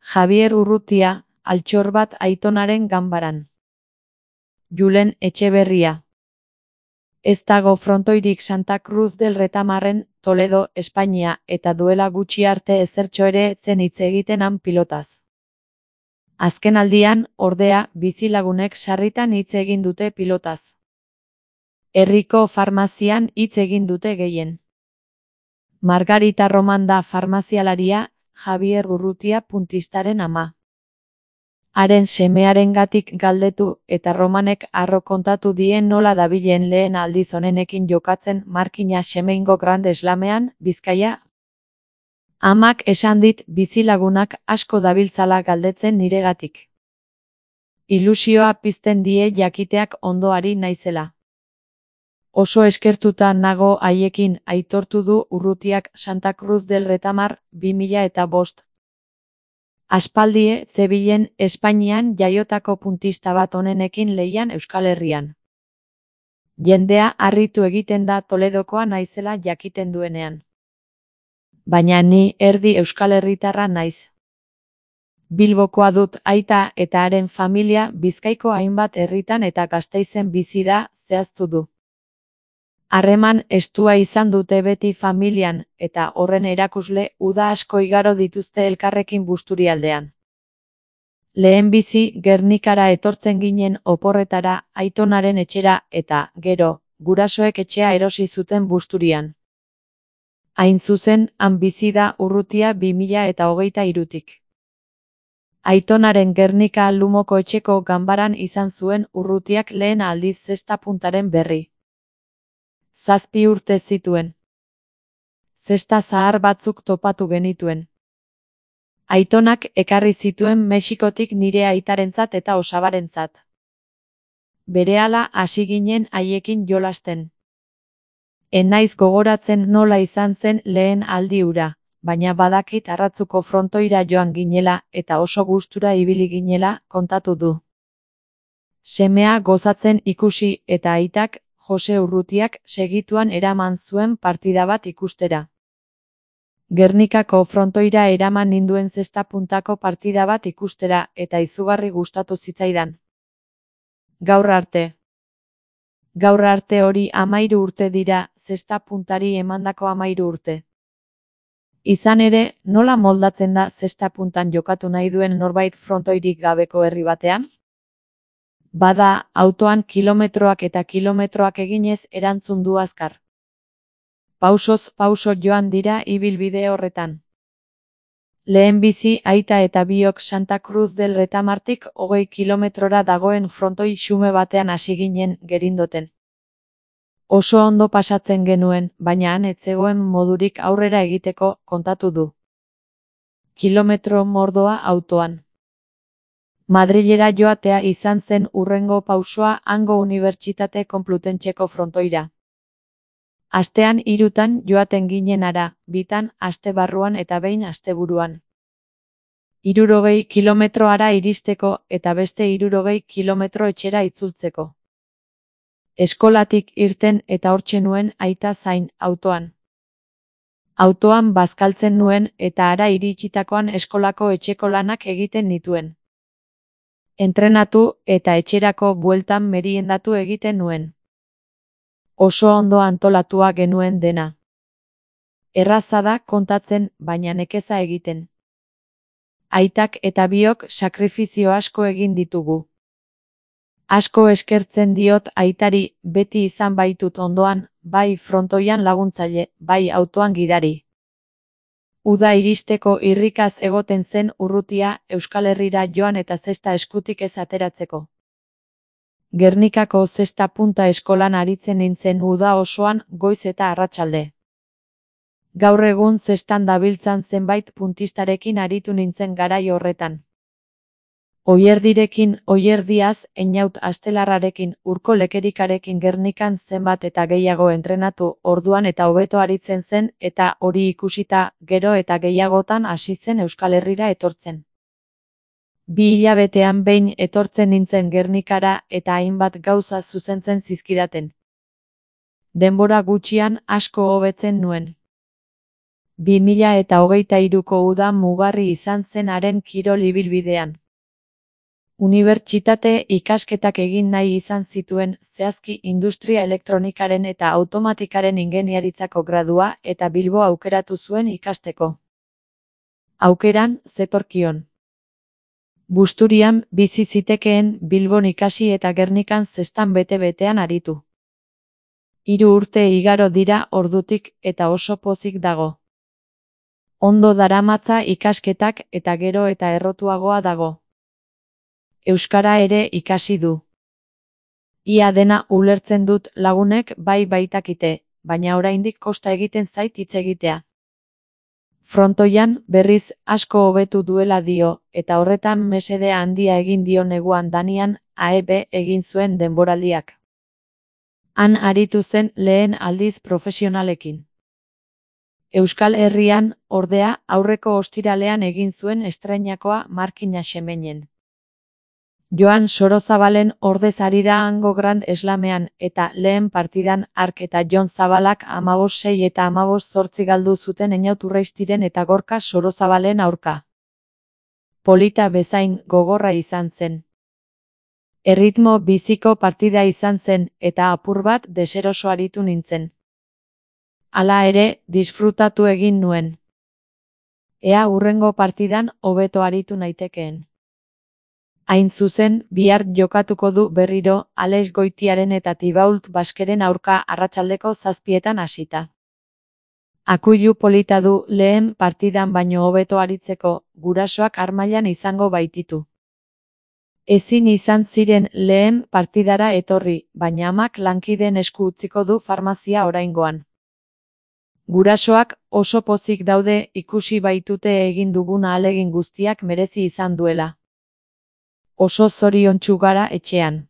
Javier Urrutia, altxor bat Aitonaren ganbaran. Julen Etxeberria. Ez dago frontoirik Santa Cruz del Retamarren, Toledo, Espainia, eta duela gutxi arte ezertxo ere etzen hitz egiten han pilotaz. Azken aldian, ordea, bizilagunek sarritan hitz egin dute pilotaz. Herriko farmazian hitz egin dute gehien. Margarita Roman da farmazialaria, Javier Urrutia puntistaren ama. Haren semearengatik galdetu eta Romanek harro kontatu dien nola dabilen lehen aldiz honenekin jokatzen Markina Semeingo Grande Slamean, Bizkaia. Amak esan dit bizilagunak asko dabiltzala galdetzen niregatik. Ilusioa pizten die jakiteak ondoari naizela. Oso eskertuta nago haiekin, aitortu du Urrutiak Santa Cruz del Retamar 2005. Aspaldie zebilen Espainian jaiotako puntista bat honenekin lehian Euskal Herrian. Jendea harritu egiten da Toledokoa naizela jakiten duenean. Baina ni erdi Euskal Herritarra naiz. Bilbokoa dut aita eta haren familia Bizkaiko hainbat herritan eta Gasteizen bizi da, zehaztu du. Harreman estua izan dute beti familian, eta horren erakusle uda asko igaro dituzte elkarrekin Busturialdean. Lehenbizi Gernikara etortzen ginen oporretara, Aitonaren etxera eta, gero, gurasoek etxea erosi zuten Busturian. Hain zuzen, han bizi da Urrutia 2023tik. Aitonaren Gernika Lumoko etxeko ganbaran izan zuen Urrutiak lehen aldiz zesta puntaren berri. 7 urte zituen. Zesta zahar batzuk topatu genituen. Aitonak ekarri zituen Mexikotik nire aitarentzat eta osabarentzat. Berehala hasi ginen haiekin jolasten. Enaiz gogoratzen nola izan zen lehen aldi hura, baina badakit Arratzuko frontoira joan ginela eta oso gustura ibili ginela, kontatu du. Semea gozatzen ikusi eta aitak, Jose Urrutiak, segituan eraman zuen partida bat ikustera. Gernikako frontoira eraman ninduen zesta puntako partida bat ikustera eta izugarri gustatu zitzaidan. Gaur arte hori 13 urte dira, zesta puntari emandako 13 urte. Izan ere, nola moldatzen da zesta puntan jokatu nahi duen norbait frontoirik gabeko herri batean? Bada, autoan kilometroak eta kilometroak eginez erantzun du azkar. Pausoz pauso joan dira ibilbide horretan. Lehenbizi aita eta biok Santa Cruz del Retamartik 20 kilometrora dagoen frontoi xume batean hasi ginen gerindoten. Oso ondo pasatzen genuen, baina han ez zegoen modurik aurrera egiteko, kontatu du. Kilometro mordoa autoan. Madrilera joatea izan zen hurrengo pausoa hango Unibertsitate Konplutentxeko frontoira. Astean 3 joaten ginen hara, 2 aste barruan eta behin asteburuan. 60 kilometroara iristeko eta beste 60 kilometro etxera itzultzeko. Eskolatik irten eta hortxe nuen aita zain, autoan. Autoan bazkaltzen nuen eta hara iritsitakoan eskolako etxeko lanak egiten nituen. Entrenatu eta etxerako bueltan meriendatu egiten nuen. Oso ondo antolatua genuen dena. Erraza da kontatzen, baina nekeza egiten. Aitak eta biok sakrifizio asko egin ditugu. Asko eskertzen diot aitari, beti izan baitut ondoan, bai frontoian laguntzaile, bai autoan gidari. Uda iristeko irrikaz egoten zen Urrutia Euskal Herrira joan eta zesta eskutik ez ateratzeko. Gernikako zesta punta eskolan aritzen nintzen uda osoan, goiz eta arratsalde. Gaur egun zestan dabiltzan zenbait puntistarekin aritu nintzen garai horretan. Oierdirekin, Oierdiaz, Einaut Astelarrarekin, Urko Lekerikarekin Gernikan zenbat eta gehiago entrenatu, orduan eta hobeto aritzen zen, eta hori ikusita, gero eta gehiagotan hasi zen Euskal Herrira etortzen. 2 hilabetean behin etortzen nintzen Gernikara eta hainbat gauza zuzentzen zizkidaten. Denbora gutxian asko hobetzen nuen. 2023ko uda mugarri izan zen haren kirol ibilbidean. Unibertsitate ikasketak egin nahi izan zituen, zehazki industria elektronikaren eta automatikaren ingeniaritzako gradua eta Bilbo aukeratu zuen ikasteko. Aukeran, zetorkion. Busturian bizi zitekeen Bilbon ikasi eta Gernikan zestan bete-betean aritu. 3 urte igaro dira ordutik eta oso pozik dago. Ondo daramatza ikasketak eta gero eta errotuagoa dago. Euskara ere ikasi du. Ia dena ulertzen dut lagunek bai baitakite, baina oraindik kosta egiten zait hitz egitea. Frontoian berriz asko hobetu duela dio, eta horretan mesede handia egin dio neguan Danian AEB egin zuen denboraldiak. Han aritu zen lehen aldiz profesionalekin. Euskal Herrian, ordea, aurreko ostiralean egin zuen estreinakoa Markina Xemenen. Joan Sorozabalen ordez ari da hango Grand Slamean eta lehen partidan Ark eta Jon Zabalak 15-6 eta 15-8 galdu zuten Einaut Urreistiren eta Gorka Sorozabalen aurka. Polita bezain gogorra izan zen. Erritmo biziko partida izan zen eta apur bat deseroso aritu nintzen. Hala ere, disfrutatu egin nuen. Ea hurrengo partidan hobeto aritu naitekeen. Hain zuzen, bihar jokatuko du berriro, Alex Goitiaren eta Thibault Baskeren aurka arratsaldeko 7etan hasita. Akuilu polita du lehen partidan baino hobeto aritzeko, gurasoak armailan izango baititu. Ezin izan ziren lehen partidara etorri, baina amak lankideen esku utziko du farmazia oraingoan. Gurasoak oso pozik daude ikusi baitute egin dugun ahalegin guztiak merezi izan duela. Oso zoriontsu gara etxean.